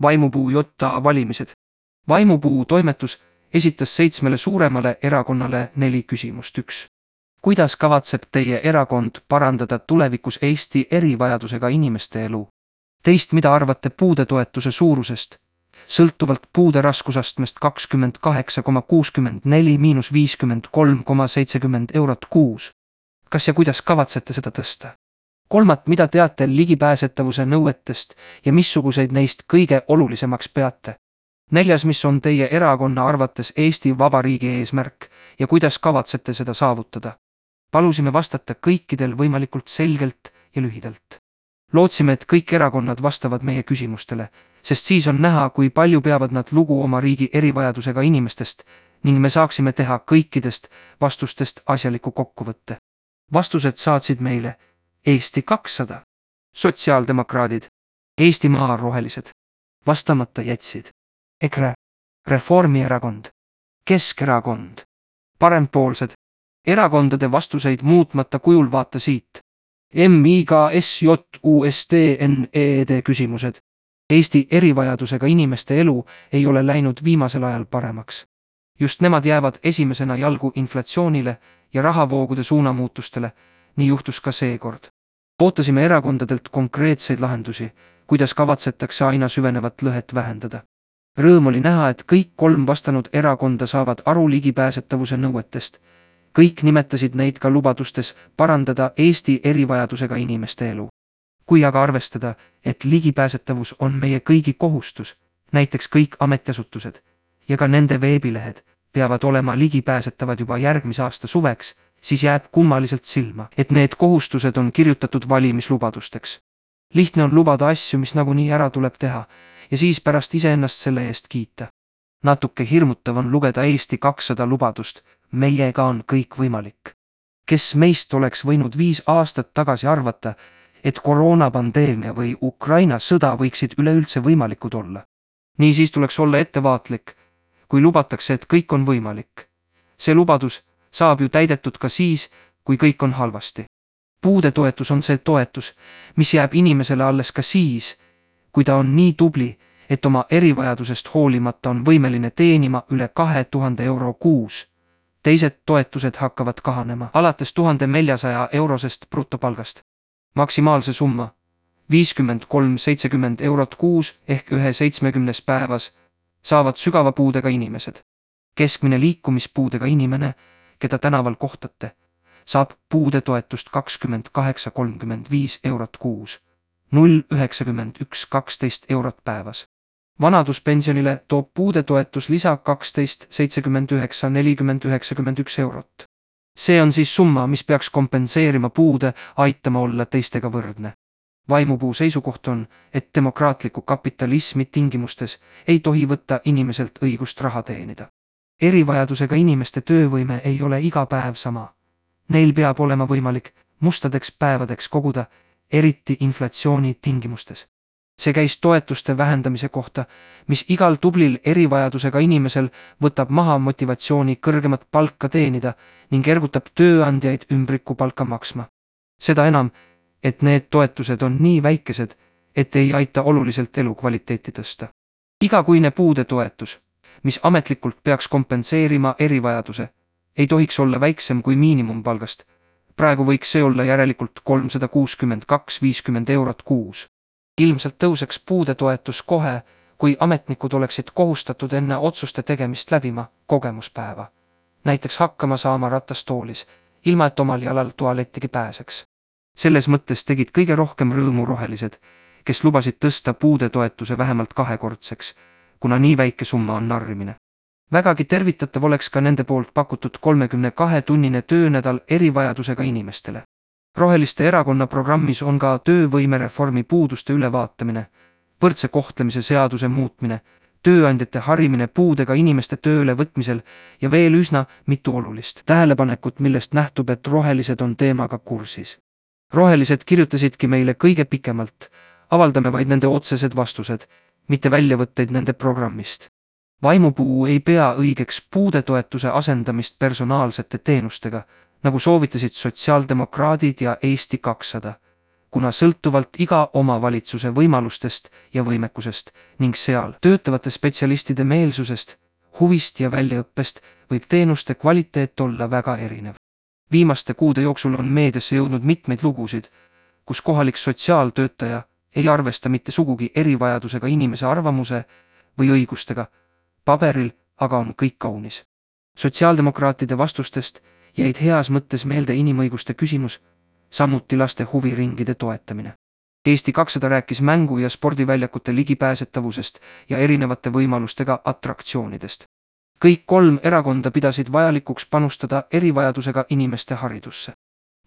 Vaimupuu JA valimised. Vaimupuu toimetus esitas 7 suuremale erakonnale 4 küsimust. 1. Kuidas kavatseb teie erakond parandada tulevikus Eesti erivajadusega inimeste elu? 2. Mida arvate puudetoetuse suurusest? Sõltuvalt puude raskusastmest 28,64 miinus 53,70 eurot kuus. Kas ja kuidas kavatsete seda tõsta? 3. Mida teate ligipääsetavuse nõuetest ja missuguseid neist kõige olulisemaks peate? 4. Mis on teie erakonna arvates Eesti Vabariigi eesmärk ja kuidas kavatsete seda saavutada? Palusime vastata kõikidel võimalikult selgelt ja lühidalt. Lootsime, et kõik erakonnad vastavad meie küsimustele, sest siis on näha, kui palju peavad nad lugu oma riigi erivajadusega inimestest ning me saaksime teha kõikidest vastustest asjaliku kokkuvõtte. Vastused saatsid meile Eesti 200, sotsiaaldemokraadid, Eestimaa rohelised. Vastamata jätsid EKRE, Reformierakond, Keskerakond, parempoolsed. Erakondade vastuseid muutmata kujul vaata siit. MIGSJUSTNED küsimused. Eesti erivajadusega inimeste elu ei ole läinud viimasel ajal paremaks. Just nemad jäävad esimesena jalgu inflatsioonile ja rahavoogude suunamuutustele, nii juhtus ka seekord. Ootasime erakondadelt konkreetseid lahendusi, kuidas kavatsetakse aina süvenevat lõhet vähendada. Rõõm oli näha, et kõik 3 vastanud erakonda saavad aru ligipääsetavuse nõuetest. Kõik nimetasid neid ka lubadustes parandada Eesti erivajadusega inimeste elu. Kui aga arvestada, et ligipääsetavus on meie kõigi kohustus, näiteks kõik ametiasutused ja ka nende veebilehed peavad olema ligipääsetavad juba järgmise aasta suveks, siis jääb kummaliselt silma, et need kohustused on kirjutatud valimislubadusteks. Lihtne on lubada asju, mis nagunii ära tuleb teha ja siis pärast iseennast selle eest kiita. Natuke hirmutav on lugeda Eesti 200 lubadust, meiega on kõik võimalik. Kes meist oleks võinud 5 aastat tagasi arvata, et koroonapandeemia või Ukraina sõda võiksid üleüldse võimalikud olla. Nii siis tuleks olla ettevaatlik, kui lubatakse, et kõik on võimalik. See lubadus saab ju täidetud ka siis, kui kõik on halvasti. Puudetoetus on see toetus, mis jääb inimesele alles ka siis, kui ta on nii tubli, et oma erivajadusest hoolimata on võimeline teenima üle 2000 euro kuus. Teised toetused hakkavad kahanema alates 1400 eurosest brutopalgast. Maksimaalse summa 53,70 eurot kuus ehk 1/70 päevas saavad sügava puudega inimesed. Keskmine liikumispuudega inimene, keda tänaval kohtate, saab puudetoetust 28,35 eurot kuus, 0,91,12 eurot päevas. Vanaduspensionile toob puudetoetus lisa 12,79,40,91 eurot. See on siis summa, mis peaks kompenseerima puude, aitama olla teistega võrdne. Vaimupuu seisukoht on, et demokraatliku kapitalismi tingimustes ei tohi võtta inimeselt õigust raha teenida. Erivajadusega inimeste töövõime ei ole iga päev sama. Neil peab olema võimalik mustadeks päevadeks koguda, eriti inflatsiooni tingimustes. See käis toetuste vähendamise kohta, mis igal tublil erivajadusega inimesel võtab maha motivatsiooni kõrgemat palka teenida ning ergutab tööandjaid ümbrikupalka maksma. Seda enam, et need toetused on nii väikesed, et ei aita oluliselt elukvaliteeti tõsta. Igakuine puudetoetus, mis ametlikult peaks kompenseerima erivajaduse, ei tohiks olla väiksem kui miinimumpalgast. Praegu võiks see olla järelikult 362,50 eurot kuus. Ilmselt tõuseks puudetoetus kohe, kui ametnikud oleksid kohustatud enne otsuste tegemist läbima kogemuspäeva. Näiteks hakkama saama ratastoolis, ilma et omal jalal tualettigi pääseks. Selles mõttes tegid kõige rohkem rõõmu rohelised, kes lubasid tõsta puudetoetuse vähemalt 2-kordseks, kuna nii väike summa on narrimine. Vägagi tervitatav oleks ka nende poolt pakutud 32-tunnine töönädal erivajadusega inimestele. Roheliste erakonna programmis on ka töövõimereformi puuduste ülevaatamine, võrdse kohtlemise seaduse muutmine, tööandjate harimine puudega inimeste tööle võtmisel ja veel üsna mitu olulist tähelepanekut, millest nähtub, et rohelised on teemaga kursis. Rohelised kirjutasidki meile kõige pikemalt, avaldame vaid nende otsesed vastused, mitte väljavõtteid nende programmist. Vaimupuu ei pea õigeks puudetoetuse asendamist personaalsete teenustega, nagu soovitasid sotsiaaldemokraadid ja Eesti 200. kuna sõltuvalt iga omavalitsuse võimalustest ja võimekusest ning seal töötavate spetsialistide meelsusest, huvist ja väljaõppest võib teenuste kvaliteet olla väga erinev. Viimaste kuude jooksul on meediasse jõudnud mitmeid lugusid, kus kohalik sotsiaaltöötaja ei arvesta mitte sugugi erivajadusega inimese arvamuse või õigustega, paberil aga on kõik kaunis. Sotsiaaldemokraatide vastustest jäid heas mõttes meelde inimõiguste küsimus, samuti laste huviringide toetamine. Eesti 200 rääkis mängu- ja spordiväljakute ligipääsetavusest ja erinevate võimalustega atraktsioonidest. Kõik 3 erakonda pidasid vajalikuks panustada erivajadusega inimeste haridusse.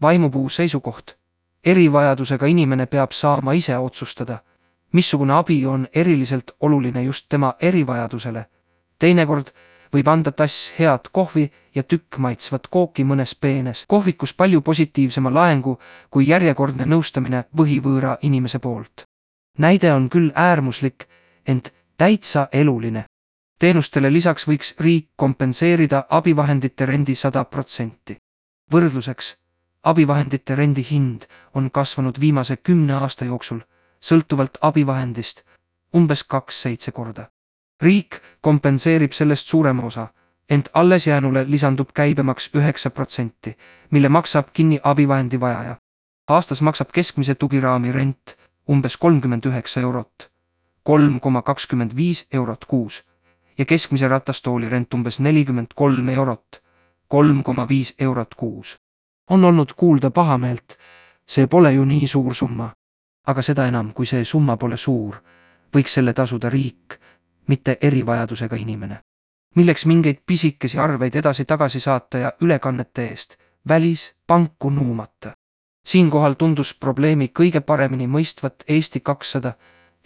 Vaimupuu seisukoht: erivajadusega inimene peab saama ise otsustada, missugune abi on eriliselt oluline just tema erivajadusele. Teinekord võib anda tass head kohvi ja tükk maitsvat kooki mõnes peenes kohvikus palju positiivsema laengu kui järjekordne nõustamine võhivõõra inimese poolt. Näide on küll äärmuslik, ent täitsa eluline. Teenustele lisaks võiks riik kompenseerida abivahendite rendi 100%. Võrdluseks, abivahendite rendi hind on kasvanud viimase 10 aasta jooksul, sõltuvalt abivahendist, umbes 2-7 korda. Riik kompenseerib sellest suurema osa, ent alles jäänule lisandub käibemaks 9%, mille maksab kinni abivahendi vajaja. Aastas maksab keskmise tugiraami rent umbes 39 eurot, 3,25 eurot kuus, ja keskmise ratastooli rent umbes 43 eurot, 3,5 eurot kuus. On olnud kuulda pahameelt, see pole ju nii suur summa. Aga seda enam, kui see summa pole suur, võiks selle tasuda riik, mitte erivajadusega inimene. Milleks mingeid pisikesi arveid edasi-tagasi saata ja ülekannete eest välispanku nuumata. Siinkohal tundus probleemi kõige paremini mõistvat Eesti 200,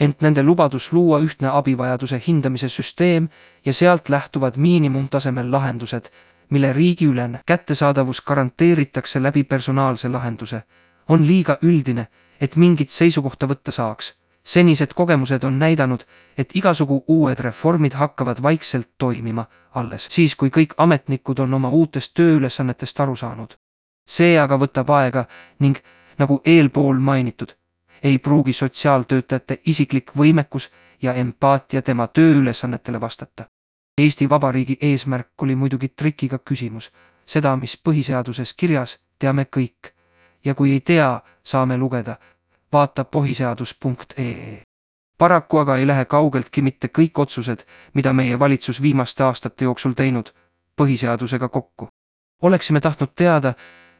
ent nende lubadus luua ühtne abivajaduse hindamise süsteem ja sealt lähtuvad miinimumtasemel lahendused, mille riigiülene kättesaadavus garanteeritakse läbi personaalse lahenduse, on liiga üldine, et mingit seisukohta võtta saaks. Senised kogemused on näidanud, et igasugu uued reformid hakkavad vaikselt toimima alles siis, kui kõik ametnikud on oma uutest tööülesannetest aru saanud. See aga võtab aega ning, nagu eelpool mainitud, ei pruugi sotsiaaltöötajate isiklik võimekus ja empaatia tema tööülesannetele vastata. Eesti Vabariigi eesmärk oli muidugi trikiga küsimus. Seda, mis põhiseaduses kirjas, teame kõik. Ja kui ei tea, saame lugeda. Vaata põhiseadus.ee. Paraku aga ei lähe kaugeltki mitte kõik otsused, mida meie valitsus viimaste aastate jooksul teinud, põhiseadusega kokku. Oleksime tahtnud teada,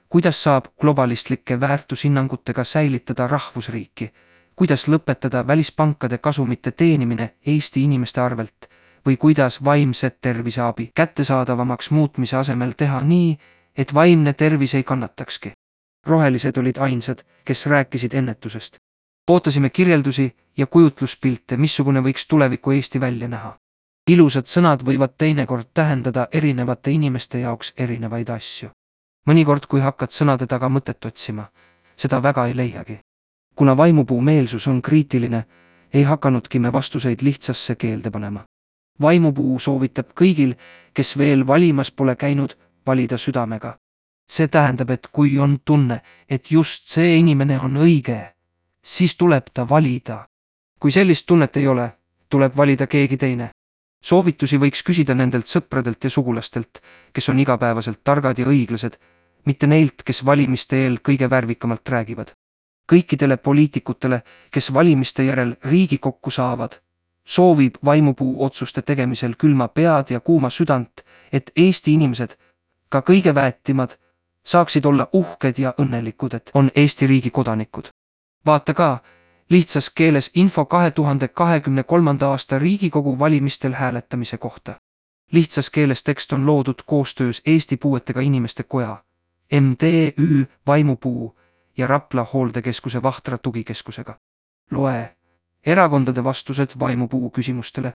kuidas saab globalistlike väärtushinnangutega säilitada rahvusriiki, kuidas lõpetada välispankade kasumite teenimine Eesti inimeste arvelt või kuidas vaimse terviseabi kättesaadavamaks muutmise asemel teha nii, et vaimne tervis ei kannatakski. Rohelised olid ainsad, kes rääkisid ennetusest. Ootasime kirjeldusi ja kujutluspilte, missugune võiks tuleviku Eesti välja näha. Ilusad sõnad võivad teinekord tähendada erinevate inimeste jaoks erinevaid asju. Mõnikord, kui hakkad sõnade taga mõtet otsima, seda väga ei leiagi. Kuna vaimupuu meelsus on kriitiline, ei hakanudki me vastuseid lihtsasse keelde panema. Vaimupuu soovitab kõigil, kes veel valimas pole käinud, valida südamega. See tähendab, et kui on tunne, et just see inimene on õige, siis tuleb ta valida. Kui sellist tunnet ei ole, tuleb valida keegi teine. Soovitusi võiks küsida nendelt sõpradelt ja sugulastelt, kes on igapäevaselt targad ja õiglased, mitte neilt, kes valimiste eel kõige värvikamalt räägivad. Kõikidele poliitikutele, kes valimiste järel Riigikokku saavad, soovib vaimupuu otsuste tegemisel külma pead ja kuuma südant, et Eesti inimesed, ka kõige väetimad, saaksid olla uhked ja õnnelikud, et on Eesti riigi kodanikud. Vaata ka lihtsas keeles info 2023. aasta Riigikogu valimistel hääletamise kohta. Lihtsas keeles tekst on loodud koostöös Eesti Puuetega Inimeste Koja, MTÜ Vaimupuu ja Rapla hooldekeskuse Vahtra tugikeskusega. Loe erakondade vastused vaimupuu küsimustele.